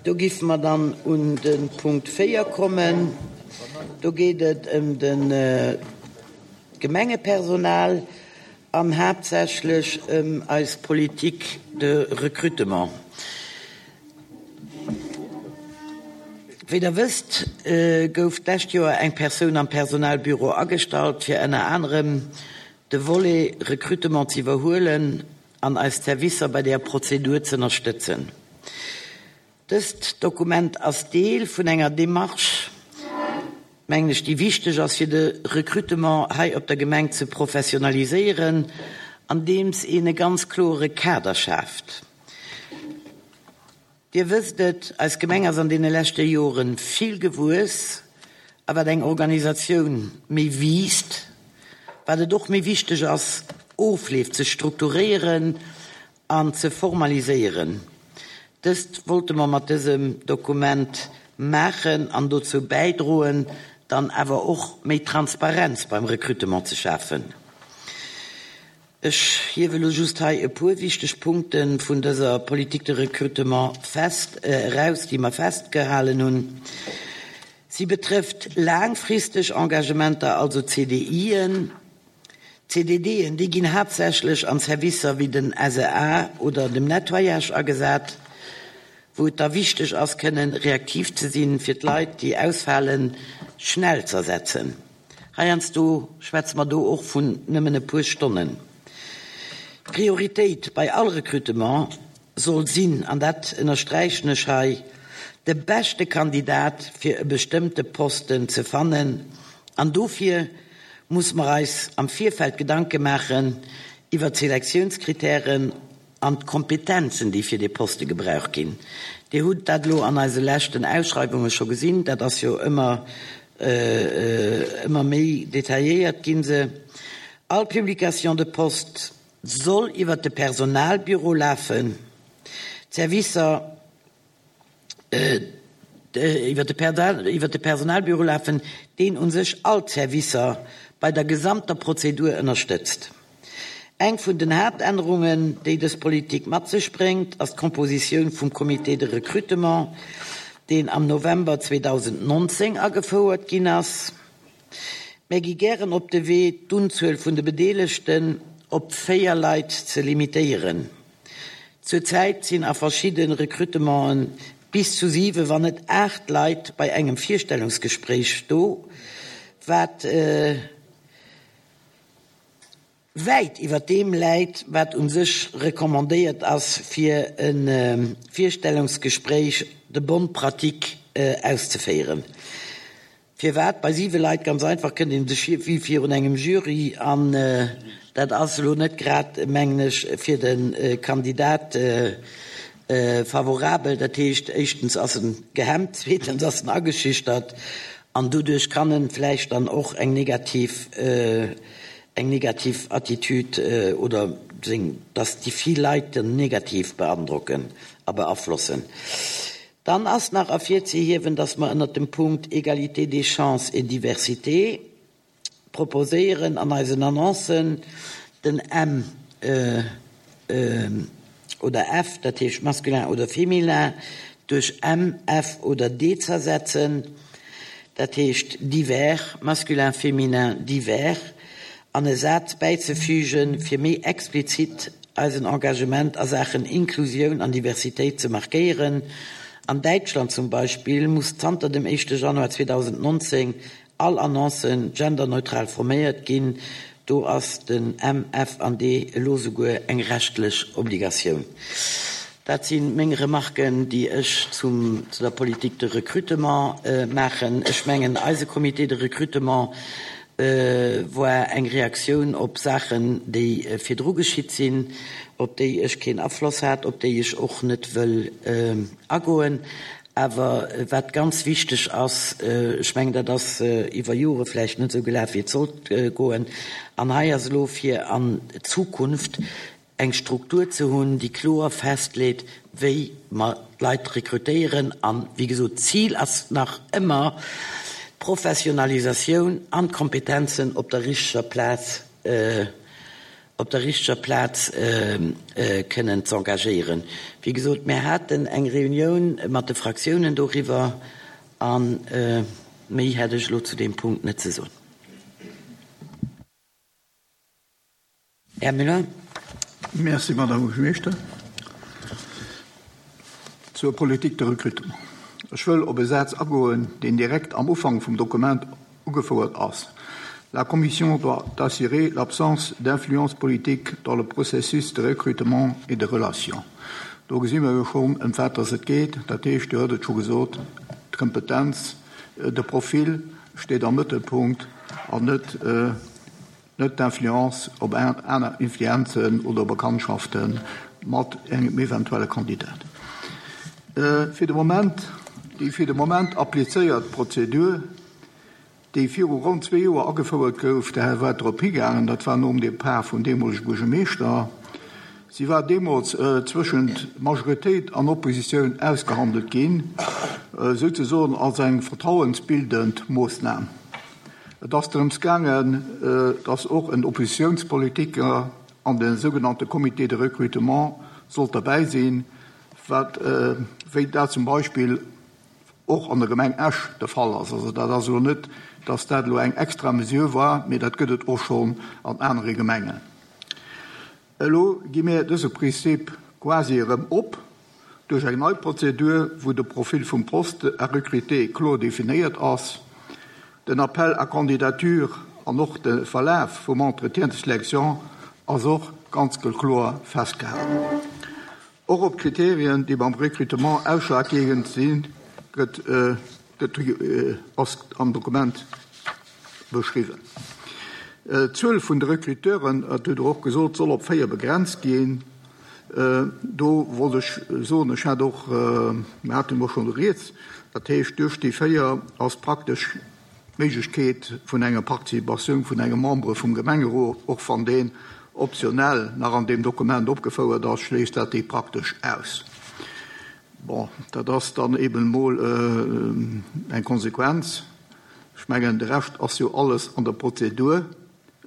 Do giffe mer dann un de Punkt 4 kommen. Do geet et ëm de Gemengepersonal an haaptsächlech ëm eis Politique de recrutement. Wéi Der wësst, gouf d'lescht Joer eng Persoun am Personalbüro agestallt, fir ënner anerem de Volet Recrutement ze iwwerhuelen an eis Servicer bei där Prozedur z'ënnerstëtzen. Dëst Dokument ass Deel vun enger Démarche, mengen ech, déi wichteg ass, fir de Recrutement hei op der Gemeng ze professionaliséieren, andeems een e ganz kloere Kader schaaft. Dir wësst et, eis Gemeng ass an deene leschte Jore vill gewuess. A wat eng Organisatioun méi wiisst, wat et och méi wichteg ass, Ofleef ze strukturéieren an ze formaliséieren. Dëst wollte mer mat dësem Dokument maachen an dozou bäidroen, dann awer och méi Transparenz beim Recrutement ze schafen. Ech hiewe lo just hei e puer wichteg Punkte vun dëser Politique de recrutement fest eraus, déi mer festgehalen hunn. Si betrëfft laangfristeg Engagementer, also CDIen. CDDen, déi ginn haaptsächlech an Servicer wéi den SEA oder dem Nettoyage agesat, wou et da wichteg ass, kënnen reaktiv ze sinn, fir d'Leit, déi ausfalen, schnell z'ersetzen. Heiansdo schwätze mer do och vun nëmmen e puer Stonnen. D'Prioritéit bei all Recrutement soll sinn, an dat ënnersträichen ech hei, de beschte Kandidat fir e bestëmmte Posten ze fannen. An dofir muss mer eis am Virfeld Gedanke maachen iwwert d'Selektiounskritären An d'Kompetenzen, déi fir dee Poste gebraucht ginn. Dir hutt dat elo an eise leschten Ausschreiwunge scho gesinn, dat ass jo ëmmer, ëmmer méi detailléiert ginn se. All Publication de poste soll iwwert de Personalbüro lafen. D'Servicer. iwwer de Personalbüro lafen, deen u sech all d'Servicer bei der gesamter Prozedur ënnerstëtzt. Eng vun den Haaptännerungen, déi dës Politik mat sech bréngt, ass d'Kompositioun vum Comité de recrutement, deen am November 2019 agefouert ginn ass. Mär gi gären op de Wee, d'Unzuel vun de Bedeelegten op 4 Leit ze limitéieren. Zur Zäit sinn a verschidde Recrutementen bis zu 7, wann net 8 Leit bei engem Virstellungsgespréich do, wat wäit iwwer deem läit, wat u sech recommandéiert ass, fir e Virstellungsgespréich de bonne pratique auszeféieren. Firwat bei siwe Leit? Ganz einfach, kënnt een sech vir wéi virun engem Jury an dat ass elo net grad, mengen ech, fir de Kandidat favorabel. Dat heescht, éischtens ass en gehemmt, zweetens ass en ageschüchtert an doduerch kann en vläicht dann och eng negativ, eng negativ Attitüd oder seng, dass déi vill Leit en negativ beandrocken a beaflossen. Dann ass nach ervirzehiewen, dass mer ënnert dem Punkt Égalité des chances et diversité proposéieren an eisen Annoncen den M oder F, dat heescht masculin oder féminin, duerch M, F oder D z'ersetzen, dat heescht divers, masculin, féminin, divers, an e Saz bäizefügen, fir méi explizit eisen Engagement a Saachen Inklusioun an Diversitéit ze markéieren. An Däitschland zum Beispill muss zanter dem éischte Januar 2019 all Annonce genderneutral forméiert ginn. Do ass den M, F an D elo souguer eng rechtlech Obligatioun. Dat si meng Remarken, déi ech zum, zu der Politique de recrutement maachen. Ech mengen, eise Comité de recrutement war eng Reaktioun op Saachen, déi virdru geschitt sinn, op déi ech keen Afloss hat, op déi ech och net wëll agoen. Awer wat ganz wichteg ass, ech mengen, dat ass iwwer Jore vläicht net esou gelaf, wéi et sollt goen, an hei ass elo fir an d'Zukunft eng Struktur ze hunn, déi kloer festleet, wéi mer d'Leit rekrutéieren. An, wéi gesot, d'Zil ass nach ëmmer, d'Professionalisatioun an d'Kompetenzen op der richteger Plaz. op der richteger Plaz kënnen z'engagéieren. Wéi gesot, mär haten eng Reunioun mat de Fraktiounen doriwwer a méi hätt ech elo zu deem Punkt net ze soen. Här Müller. Merci, Madame Buergermeeschter. Zur Politique de recrutement. Ech wëll op e Saz agoen, deen direkt am Ufank vum Dokument ugefouert ass, La Commission doit assurer l'absence d'influence politique dans le processus de recrutement et de relations. Do gesi mer jo schonn, ëm wat dass et geet. Dat heescht, Dir hutt et scho gesot, d'Kompetenz, de Profil steet am Mëttelpunkt an net, net d'Influence op aner Influenzen oder Bekanntschafte mat engem eventuelle Kandidat. Fir de Moment, déi fir de Moment applizéiert Prozedur, déi viru ronn zwee Joer agefouert gouf, de Här war drop higaangen, dat war nom Depart vum deemolege Buergermeeschter, si war deemools zwëschent Majoritéit an Oppositioun ausgehandelt ginn, souzesoen als eng vertrauensbildend Moossnam. Et ass drëms gaangen, datt och en Oppositiounspolitiker an de sougenannte Comité de recrutement sollt derbäi sinn, wat, wéi dat zum Beispill och an der Gemeng Esch de Fall ass. Also dat ass elo net, datt dat elo eng extra Mesure war, mee dat gëtt et och schonn an anere Gemengen. Elo gi mir dëse Prinzip quasi erëm op duerch eng nei Prozedur, wou de Profil vum Poste à recruter kloer definéiert ass, den Appel à candidature an och de Verlaf vum Entretien de sélection ass och ganz kloer festgehalen. Och op d'Kriterien, déi beim Recrutement ausschlaggebend sinn, gëtt gëtt ass am Dokument beschriwwen. D'Zuel vun de Recruteuren, dat hutt Der och gesot, soll op 4 begrenzt ginn. Do wollt ech soen, ech hat och, mir haten och schonn rieds, dat heescht duerch déi 4 ass praktesch d'Méiglechkeet vun enger Participatioun vun engem Membre vum Gemengerot, och wann deen optionell nach an deem Dokument opgefouert ass, schléisst dat déi praktesch aus. Bon, dat ass dann eben emol eng Konsequenz. Ech mengen, de Rescht ass jo alles an der Prozedur,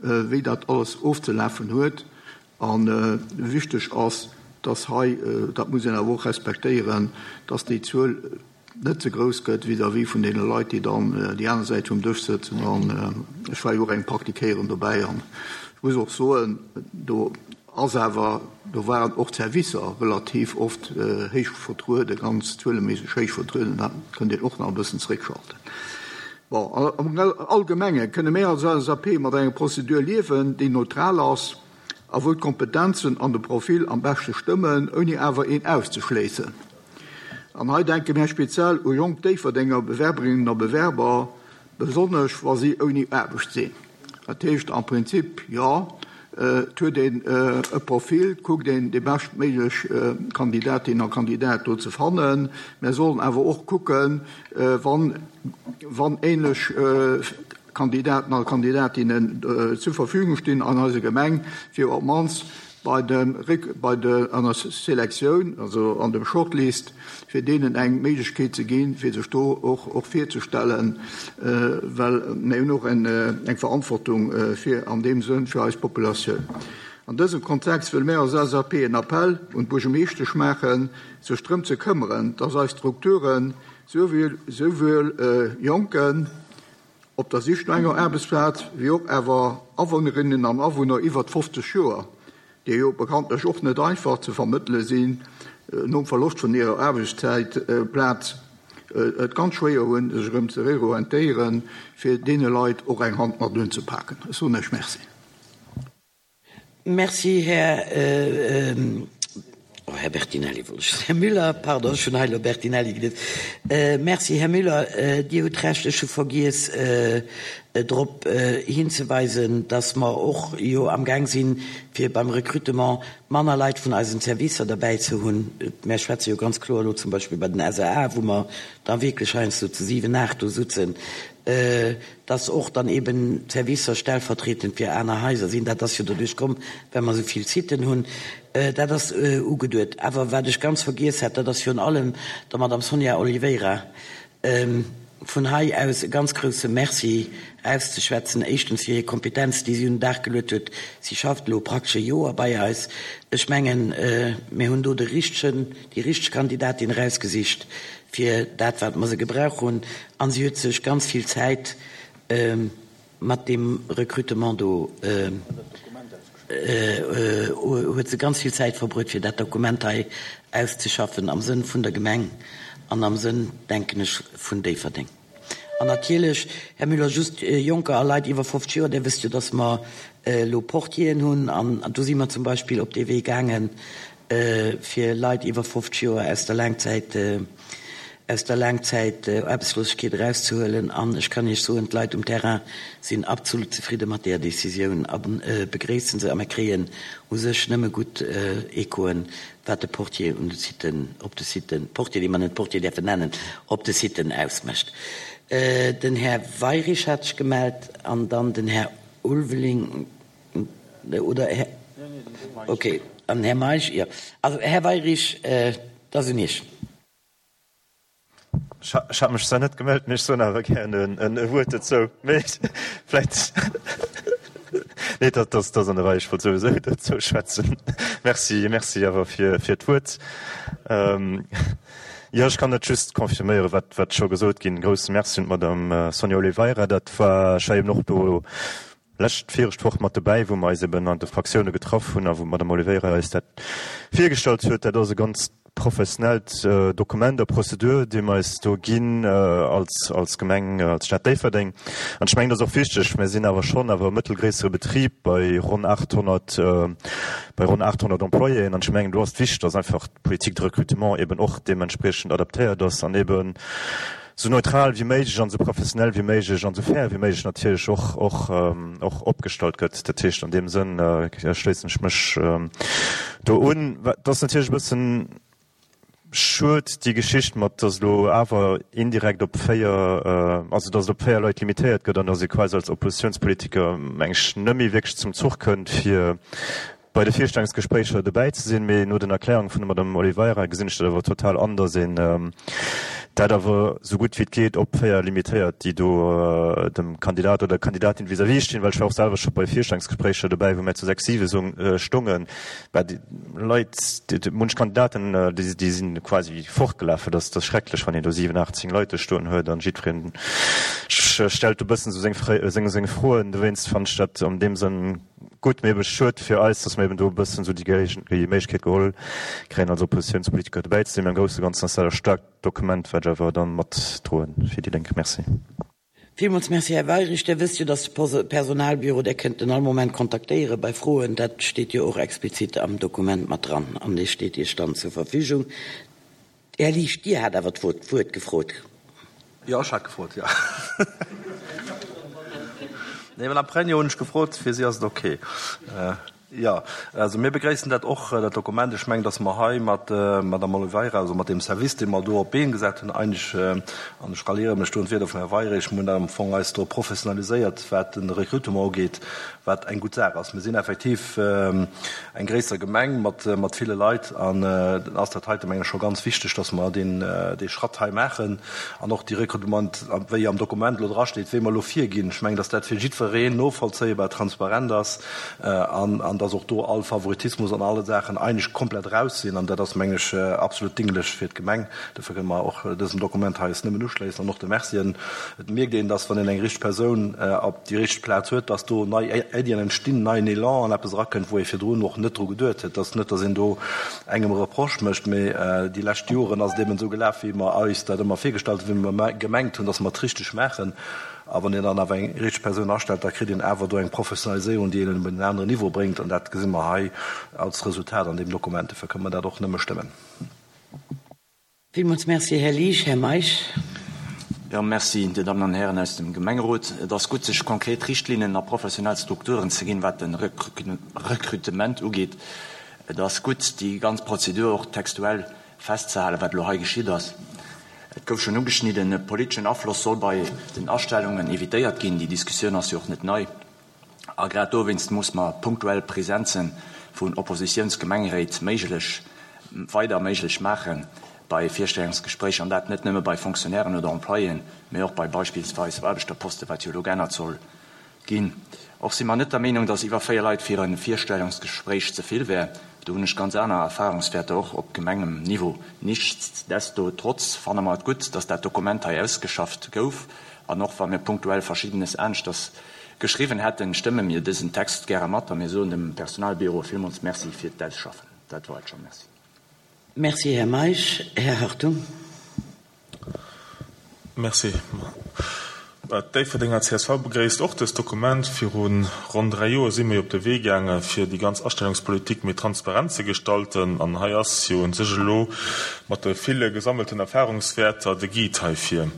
wéi dat alles ofzelafen huet. A wichteg ass, dass hei, dat muss een awer och respektéieren, dass déi Zuel net ze grouss gëtt vis-à-vis vun deene Leit, déi dann déi aner Säit vum Dësch sëtzen. An ech war jo och eng Partie Kéieren dobäi an ech muss och soen, do ass awer, do waren och d'Servicer relativ oft héich vertrueden, ganz zueleméisseg héich vertrueden. Dat kënnt een och nach e bëssen zeréckschalten. Bon, am Allgemenge kënne mir als LSAP mat enger Prozedur liewen, déi neutral ass a wou d'Kompetenzen an de Profil am beschte stëmmen, ouni awer een auszeschléissen. An hei denke mär speziell u jonk Déifferdenger Bewerberinnen a Bewerber, besonnesch wa si ouni Aarbecht sinn. Dat heescht am Prinzip, jo, et huet een e Profil, et kuckt een déi beschtméiglech Kandidatin a Kandidat do ze fannen. Mär sollen awer och kucken, wann wann ähnlech Kandidaten a Kandidatinnen zur Verfügung stinn an eiser Gemeng, fir op d'mannst bei dem bei de an der Selektioun, also an dem Shortlist, fir deenen eng Méiglechkeet ze ginn, fir sech do och och virzestellen, well mir hunn och eng eng Verantwortung fir an deem Sënn fir eis Populatioun. An dësem Kontext wëlle mir als LSAP en Appell un d'Buergermeeschtesch maachen, sech drëm ze këmmeren, dass eis Strukturen souwuel Jonken op der Sich no enger Aarbechtsplaz, wéi och awer Awunnerinnen an Awunner iwwert 50 Joer, déi jo bekanntlech och net einfach ze vermëttele sinn, nom Verloscht vun hirer Aarbechtszäitplaz et ganz schwéier hunn, sech erëm ze reorientéieren, fir deene Leit och eng Hand mat unzepaken. Ech soen Iech Merci. Merci, Här, oh, Här Bertinelli wollt ech soen, Här Müller, pardon, ech hunn hei elo Bertinelli gelies. Merci, Här Müller, Dir hutt Recht, ech hu vergiess drop hinzeweisen, dass mer och jo amgaang sinn, fir beim Recrutement manner Leit vun eisen Servicer derbäi ze hunn. Mär schwätze jo ganz kloer elo zum Beispill bei den SAA, wou mer da wierklech heiansdo zu siwen, aacht do sutzen, dass och dann eben d'Servicer stellvertretend fir aner Haiser sinn. Dat ass jo doduerch komm, well mer esou vill Siten hunn. Dat ass ugeduet. Awer wat ech ganz vergiess hat, dat ass virun allem der Madame Sonia Oliveira. vun hei aus e ganz grousse Merci auszeschwätzen, éischtens fir hir Kompetenz, déi si un den Dag geluet huet. Si schafft elo praktesch e Joer bei eis. Ech mengen, mir hunn do de richtegen, déi richteg Kandidatin erausgesicht fir dat, wat mer se gebrauch hunn. A si huet sech ganz vill Zäit mat deem Recrutement do, huet se ganz vill Zäit verbruet, fir dat Dokument hei auszeschaffen am Sënn vun der Gemeng an am Sënn, denken ech, vun Déifferdeng. An natierlech, Här Müller, just Jonker a Leit iwwer 50 Joer, Dir wësst jo, dass mer elo Portieren hunn an do si mer zum Beispill op dee Wee gaangen, fir Leit iwwer 50 Joer aus der Laangzäit, aus der Laangzäitaarbechtslosegkeet erauszehuelen. An ech kann Iech soen, d'Leit um Terrain sinn absolut zefridde mat deeër Décisioun a begréissen se. A mir kréien u sech nëmme gutt Echoen, wat de Portier un de Siten, op de Siten, Portier, dee mer net Portier däerfen nennen, op de Siten ausmécht. Den Här Weyrich hat sech gemellt an dann den Här Ulveling. Oder Här, okay, an Här Meisch, jo. Also, Här Weyrich, et ass un Iech. Ech hat mech zwar net gemellt, mee ech soen awer gären e Wuert dozou. Mee vläicht, nee, dat ass an der Rei, ech wollt souwisou dozou schwätzen. Merci, merci awer fir d'Wuert. Jo, ech kann dat just confirméieren, wat wat scho gesot ginn. Grousse Merci un d'Madame Sonia Oliveira. Dat war, ech war eben och do lescht, viregt Woch mat dobäi, wou mer eis eben an de Fraktioune getraff hunn a wou d'Madame Oliveira eis dat virgestallt huet. Dat ass e ganz professionellt Dokument a Prozedur, déi mer eis do ginn als, als Gemeng, als Stad Déifferdeng. An ech mengen, dat ass och wichteg. Mir sinn awer schonn awer e mëttelgréissere Betrib bei ronn 800, bei ronn 800 Employéen. An ech mengen, do ass et wichteg, dass einfach d'Politique de recrutement eben och deementspriechend adaptéiert ass an eben esou neutral wéi méiglech an esou professionell wéi méiglech an esou fair wéi méiglech natierlech och, och, och opgestallt gëtt. Dat heescht, an deem Sënn schléissen ech mech do un. Et ass natierlech e bëssen schued, déi Geschicht mat, dass elo awer indirekt op 4, also dass et op 4 Leit limitéiert gëtt an dass ee quasi als Oppositionspolitiker, meng ech, net méi wierklech zum Zuch kënnt, fir bei de Virstellungsgespréicher dobäi ze sinn, mee no den Erklärunge vun der Madame Oliveira gesinn ech dat awer total an, datt een dat awer esou gutt wéi et geet op 4 limitéiert, déi do dem Kandidat oder der Kandidatin vis-à-vis stinn, well ech war och selwer scho bei Virstellungsgespréicher dobäi, wou mär zu 6, 7 stongen, bah déi Leit, munch Kandidaten, déi si quasi fortgelaf. Dat ass schrecklech, wann een do 7, 8, 10 Leit do stoen huet an jiddwereen stellt do e bëssen esou seng Froen. Dowéinst fannen ech dat an deem Sënn Gutt, mee ebe schued fir eis, dass mer eben do e bëssen esou déi Méiglechkeet geholl kréien, als Oppositionspolitiker dobäi ze sinn. Mee am Grousse Ganzen ass dat e staarkt Dokument, wat ech awer dann matdroen fir déi Lénk. Merci. Villmools Merci, Här Weyrich. Dir wësst jo, dass de Personalbüro, Där kënnt en all Moment kontaktéiere bei Froen. Dat steet jo och explizit am Dokument mat dran an dee steet Iech dann zur Verfügung. Här Liesch, Dir hat awer d'Wuert gefrot. Jo, ech hat gefrot, jo. Nee, Madame Pregno hunn ech gefrot, fir si ass et ok. Jo, also mir begréissen dat och, dat Dokument. Ech mengen, datt mer hei mat der Madame Oliveira, also mat deem Service, dee mer do op d'Been gesat hunn, eigentlech, an ech ralliere mech do un d'Wierder vum Här Weyrich, mir hunn am Fong eis do professionaliséiert, wat de Recrutement ugeet, wat eng gutt Saach ass. Mir sinn effektiv eng gréisser Gemeng mat ville Leit an dann ass dat heite meng ech scho ganz wichteg, dass mer deen dee Schratt hei maachen an och déi Rekrutement, wéi am Dokument elo drasteet, wéi mer elo virginn. Ech mengen, dass dat fir jiddwereen novollzéibar, transparent ass an an dass och do all Favoritismus an alle Saachen eigentlech komplett raus sinn an dat ass meng ech absolut dinglech fir d'Gemeng. Dofir kënne mer och dësem Dokument hei eis nëmmen uschléissen an och de Mercien. Et mierkt een, dass wann een eng richteg Persoun op déi richteg Plaz huet, dass do nei Iddien entstinn, neien Elan an eppes erakënnt, wou ee virdrun och net dru geduet huet. Et ass net, dass een do engem e Reproche mécht, mee déi lescht Joren ass et eben esou gelaf, wéi mer eis dat ëmmer virgestallt hunn, wéi mer gemengt hunn, dass mer et richteg maachen. A wann een dann awer eng richteg Persoun astellt, da kritt een awer do eng Professionaliséierung, déi een op en aneren Niveau bréngt. An dat gesi mer hei als Resultat an deem Dokument. Dofir kënne mer dat och nëmme stëmmen. Villmools Merci, Här Liesch. Här Meisch. Jo, Merci, Dir Dammen an Hären aus dem Gemengerot. Et ass gutt, sech konkret Richtlinnen a professionell Strukturen ze ginn, wat de Rekrutement ugeet. Et ass gutt, déi ganz Prozedur och textuell festzehalen, wat elo hei geschitt ass. Et gouf schonn ugeschnidden, e politeschen Afloss soll bei den Astellungen evitéiert ginn. Déi Diskussioun ass jo och net nei. A grad dowéinst muss mer punktuell Presenze vun Oppositiounsgemengeréit méiglech, weider méiglech maachen. bei Virstellungsgespréicher, an dat net nëmme bei Fonctionnairen oder Employéen, mee och bei beispillsweis Aarbechterposten, wat jo elo geännert soll ginn. Och si mer net der Meenung, dass iwwer 4 Leit fir e Virstellungsgespréich ze vill wär. Do hunn ech ganz aner Erfahrungswäerter, och op Gemengem-Niveau. Nichtsdestotrotz fanne mer et gutt, dass dat Dokument hei ausgeschafft gouf. An och wa mir punktuell Verschiddenes aneschters geschriwwen hätten, stëmme mir dësen Text gäre mat a mir soen dem Personalbüro villmools Merci fir d'Ausschaffen. Dat war et scho. Merci. Merci, Här Meisch. Här Hartung. Merci. D'Déifferdenger csv begréisst och dëst Dokument. Viru ronn 3 Joer si mir jo op de Wee gaange fir déi ganz Astellungspolitik méi transparent ze gestalten. An hei ass jo un sech elo mat de ville gesammelten Erfahrungswäerter de Guide heifir.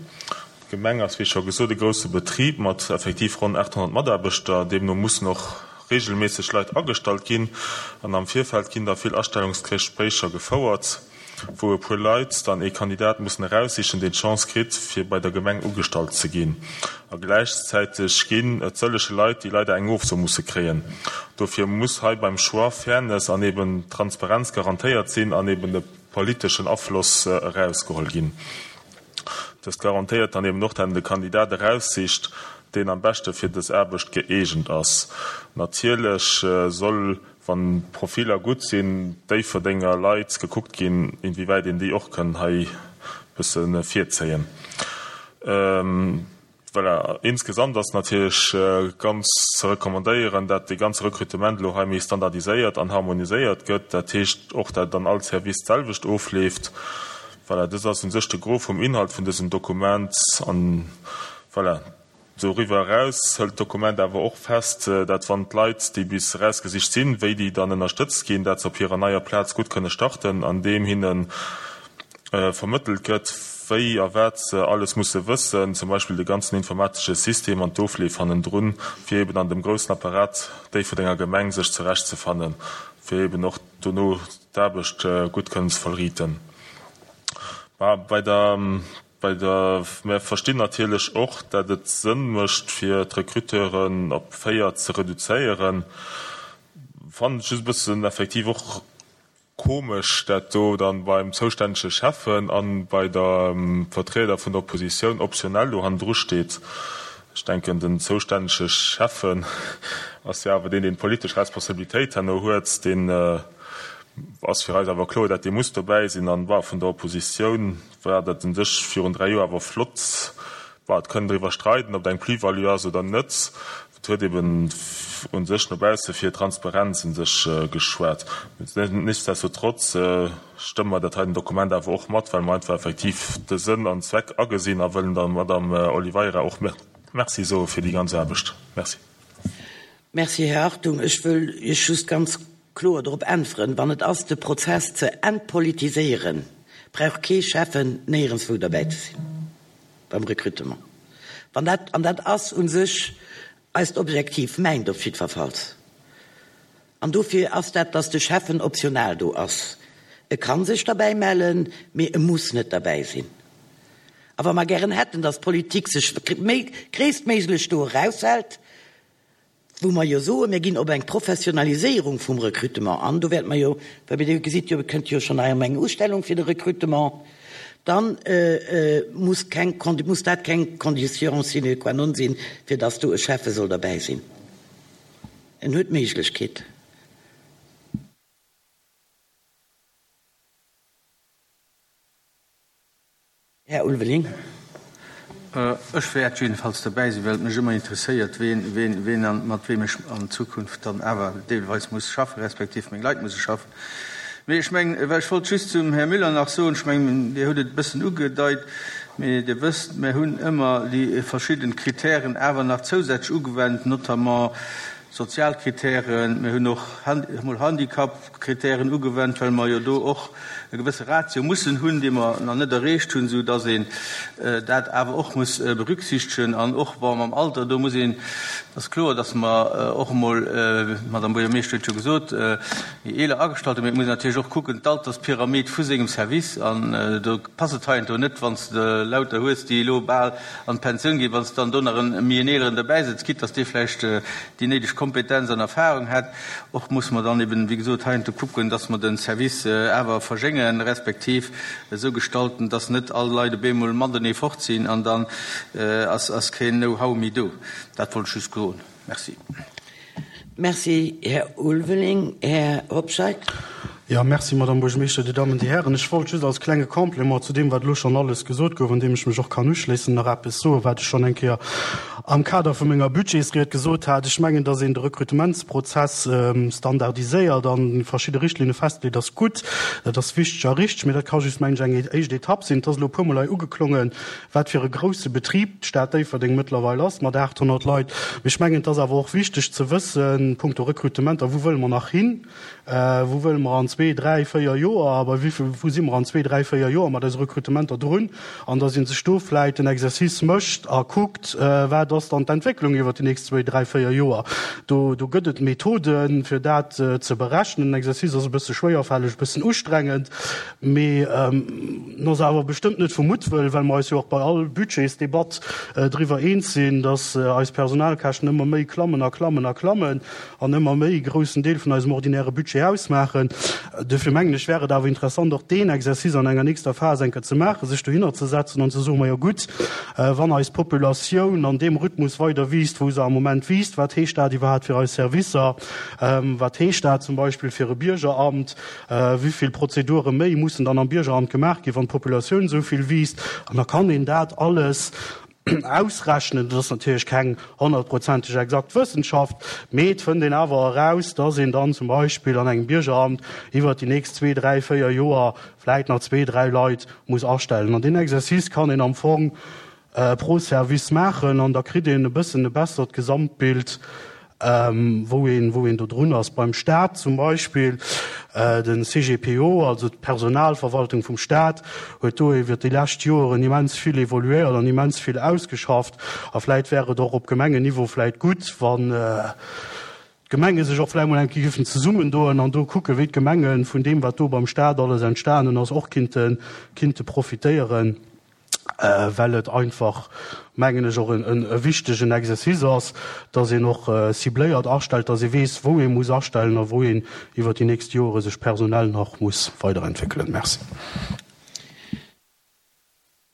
D'Gemeng ass, wéi scho gesot, e grousse Betrib mat effektiv ronn 800 Mataarbechter. Deemno mussen och reegelméisseg Leit agestallt ginn an am Virfeld ginn da vill Astellungsgespréicher gefouert, wou e puer Leit dann ee Kandidat mussen eraussichen, deen d'Chance kritt, fir bei der Gemeng ugestallt ze ginn. A gläichzäiteg ginn et sëllege Leit, déi leider eng Ofso musse kréien. Dofir muss hei beim Choix Fairness an eben Transparenz garantéiert sinn an eben de politeschen Afloss erausgeholl ginn. Dëst garantéiert dann eben och, dat en de Kandidat eraussicht, deen am beschte fir dës Aarbecht gëeegent ass. Natierlech soll, wann d'Profiller gutt sinn, Déifferdenger Leit gekuckt ginn, inwiewäit een déi och kënn hei bësse virzéien. Voilà, insgesamt ass natierlech ganz ze recommandéieren, dat dee ganze Recrutement elo hei méi standardiséiert an harmoniséiert gëtt. Dat heescht och, dat et an all Service d'selwecht ofleeft. Voilà, dës ass u sech de Gros vum Inhalt vun dësem Dokument. An voilà, doriwwer eraus hëlt d'Dokument awer och fest, dat wann d'Leit, déi bis erausgesicht sinn, wéi déi dann ënnerstëtzt ginn, dat se op hirer neier Plaz gutt kënne starten, andeem hinnen vermëttelt gëtt, wéi a wat se alles musse wëssen, zum Beispill de ganzen informatesche System an d'Ofleef hannendrun, fir eben an dem groussen Apparat Déifferdenger Gemeng sech zurechtzefannen, fir eben och dono d'Aarbecht gutt kënnen ze vollriiten. Bei der, bei der, mir verstinn natierlech och, dat et Sënn mécht, fir d'Recruteuren op 4 ze reduzéieren, fannen et just e bëssen effektiv och Komesch dat do dann beim zoustännege Schäffen an bei der Vertrieder vun der Oppositioun optionell do hannendru steet. Ech denken den zoustännege Schäffen ass jo awer deen deen d'politesch Responsabilitéit herno huet, deen ass fir eis awer kloer dat dee muss dobäi sinn. An bah vun der Oppositioun war dat un sech virun 3 Joer awer flott. Bah et kënn driwwer streiden ob et eng Plus-value ass oder net. Et huet eben u sech no bausse fir Transparenz u sech geschwat. Nichtsdestotrotz stëmme mer dat heiten Dokument awer och mat, well mer einfach effektiv de Sënn an Zweck agesinn a wëllen der Madame Oliveira och Merci soe fir déi ganz Aarbecht. Merci. Merci, Här Hartung. Ech wëll Iech just ganz kloer drop äntweren, Wann et ass, de Prozess ze entpolitiséieren, brauch kee Schäffen néierenswou derbäi ze sinn. Beim Recrutement. Wann dat, an dat ass u sech eist Objektiv, mäint op jiddwerfalls, an dofir ass dat, dass de Schäffen optional do ass. E ka sech derbäi mellen, mee e muss net derbäi sinn. A wa mer gären hätten, dass d'Politik sech méi gréisstméiglech do eraushält, wou mer jo soen, mir ginn op eng Professionaliséierung vum Recrutement an, do wäerte mer jo, well Dir gesitt jo, et kënnt jo schonn hei ëm eng Ustellung fir de Recrutement, dann muss keng, muss dat keng Condition sine qua non sinn, fir dass do e Schäffe soll derbäi sinn. En huet d'Méiglechkeet. Här Ulveling. Ech wäert jiddefalls derbäi sinn, well et mech ëmmer interesséiert, ween, ween, ween an mat weem ech an Zukunft dann awer deelweis muss schaffen, respektiv meng Leit musse schaffen. Mee ech mengen, well ech wollt just zum Här Müller nach soen, ech mengen, Dir hutt et e bëssen ugedeit, mee Dir wësst, mir hunn ëmmer déi verschidden Kritären awer nach zousätzlech ugewennt, notamment sozial Kritären, mir hunn och emol Handicap-Kritären ugewennt, well mer jo do och e gewësse Ratio mussen hunn, dee mer nach net erreecht hunn, esou dass een dat awer och muss berücksichtegen. An och, bon, mam Alter, do muss een, ass kloer, dass mer och emol, d'Madame Buergermeeschter huet jo gesot, méi eeler agestallt hunn, mee et muss een natierlech och kucken, d'Alterspyramid vu sengem Service, an do passt et heiansdo net, wann s de lauter hues, déi elo bal an d'Pensioun ginn, wann s de dann do nach en méi en eeleren derbäi sëtz, quitte dass dee vläicht déi néideg. Kompetenz an Erfahrung hätt. Och musse mer dann eben, wéi gesot, heiansdo kucken, dass mer de Service awer verjéngen, respektiv esou gestalten, dass net all Leit op eemol matenee fort sinn an dann ass keen Know-how méi do. Dat wollt ech just soen. Merci. Merci, Här Ulveling. Här Hobscheit. Jo, merci, Madame Buergermeeschter, Dir Dammen, Dir Hären. Ech wollt just als klenge Complément zu deem, wat elo schonn alles gesot gouf, an deem ech mech och kann uschléissen, nach eppes soen, wat ech schonn eng Kéier am Kader vu menger Budgetsried gesot hat. Ech mengen, dass een de Rekrutementsprozess standardiséiert an verschidde Richtlinne festleet, ass gutt. Dat ass wichteg a richteg. Mee dat ka just, mengen ech, eng éischt Etapp sinn. Et ass elo e puermol hei ugeklongen, wat fir e grouse Betrib d'Stad Déifferdeng mëttlerweil ass, mat 800 Leit. Mee ech mengen, et ass awer och wichteg ze wëssen, punkto Rekrutementer, wou wëlle mer nach hin? Wou wëlle mer an zwee, dräi, véier Joer a bei wéi vill, wou si mer an zwee, dräi, véier Joer mat eise Rekrutementer drun? An datt ee sech do vläicht en Exercice mécht a kuckt, wat ass dann d'Entwécklung iwwert déi nächst zwéi, dräi, véier Joer. Do, do gëtt et Methoden, fir dat ze berechnen. Den Exercice ass e bësse schwéierfälleg, e bëssen ustrengend. Mee en ass awer bestëmmt net vu Muttwëll, well mer eis jo och bei all Budgetsdebatt driwwer eens sinn, dass eis Personalkäschten ëmmer méi klammen a klammen a klammen an ëmmer méi e groussen Deel vun eisem ordinäre Budget ausmaachen. Duerfir mengen ech, wär et awer interessant, och deen Exercice an enger nächster Phas eng Kéier ze maachen, sech dohinner ze setzen an ze soen, Majo gutt, wann eis Populatioun an deem Rhythmus weider wiisst, wou se am Moment wiisst, wat heescht dat iwwerhaapt fir eis Servicer? Wat heescht dat zum Beispill fir e Biergeramt? Wéi vill Prozedure méi mussen dann am Biergeramt gemaach ginn, wann d'Populatioun esou vill wiisst? An da kann een dat alles ausrechnen. Dat ass natierlech keng honnertprozenteg exakt Wëssenschaft, mee et fënnt een awer eraus, dass een dann zum Beispill an engem Biergeramt iwwert déi nächst zwee, dräi, véier Joer vläit nach zwee, dräi Leit muss astellen. An deen Exercice kann een am Fong pro Service maachen an da kritt een e bëssen e bessert Gesamtbild, wou een, wou een do drun ass. Beim Stat zum Beispill, de CGPO, also d'Personalverwaltung vum Stat, huet do iwwert déi lescht Joeren immens vill evoluéiert an immens vill ausgeschafft. A vläit wär et och op Gemengenniveau vläit gutt, wann d'Gemenge sech och vläicht mol eng Kéier géifen zesummendoen an do kucken, wéi d'Gemenge vun deem, wat do beim Stat alles entstanen ass, och kinnte, kinnte profitéieren. well et einfach, mengen ech, och e wichtegen Exercice ass, dass een och cibléiert astellt, dass ee weess, wou ee muss astellen a wou een iwwert déi nächst Jore sech personell nach muss weiderentwéckelen. Merci.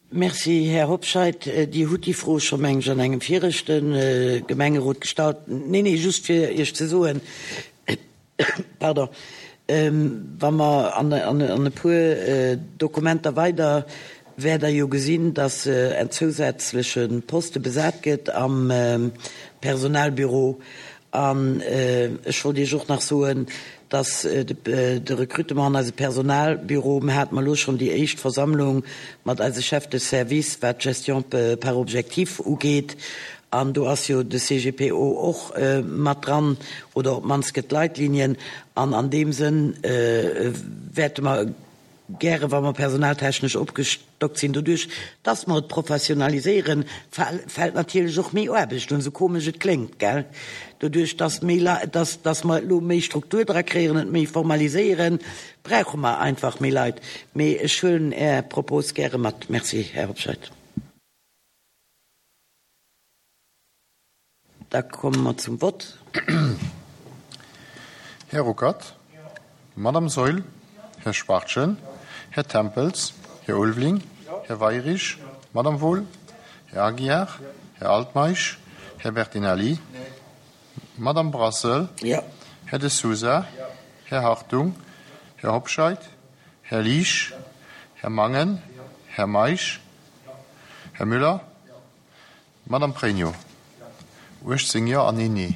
Merci, Här Hobscheit. Dir hutt déi Fro scho, meng ech, an engem viregte Gemengerot gestallt. Neen, nee, just fir Iech ze soen, Pardon. Wa mer an e puer Dokumenter weider wäert Der jo gesinn, dass en zousätzleche Poste besat gëtt am Personalbüro. An ech wollt Iech och nach soen, dass de Recrutement an eise Personalbüro, mir hate mer elo schonn déi éischt Versammlung mat eise Chefs de service, wat d'Gestion par objectifs ugeet, An do ass jo de CGPO och mat dran, oder op d'mannst gëtt Leitlinien. An an deem Sënn wäerte mer gäre, wa mer personaltechnesch opgestockt sinn, doduerch dass mer et professionaliséieren, fält natierlech och méi Aarbecht un, esou komesch et kléngt, gell, doduerch dass méi, dass, dass mer elo méi Struktur dra kréien, et méi formaliséieren, brauche mer einfach méi Leit. Mee ech huelen Är Propos gäre mat. Merci, Här Hobscheit. Da komme mer zum Vott. Här Ruckert, Madame Saeul, Här Schwachtgen, Här Tempels, Här Ulveling, Här Weirich, Madame Wohl, Här Aguiar, Här Altmeisch, Här Bertinelli, Madame Brassel, Här De Sousa, Här Hartung, Här Hobscheit, Här Liesch, Här Mangen, Här Meisch, Här Müller, Madame Pregno, 18 Jo an een Nee.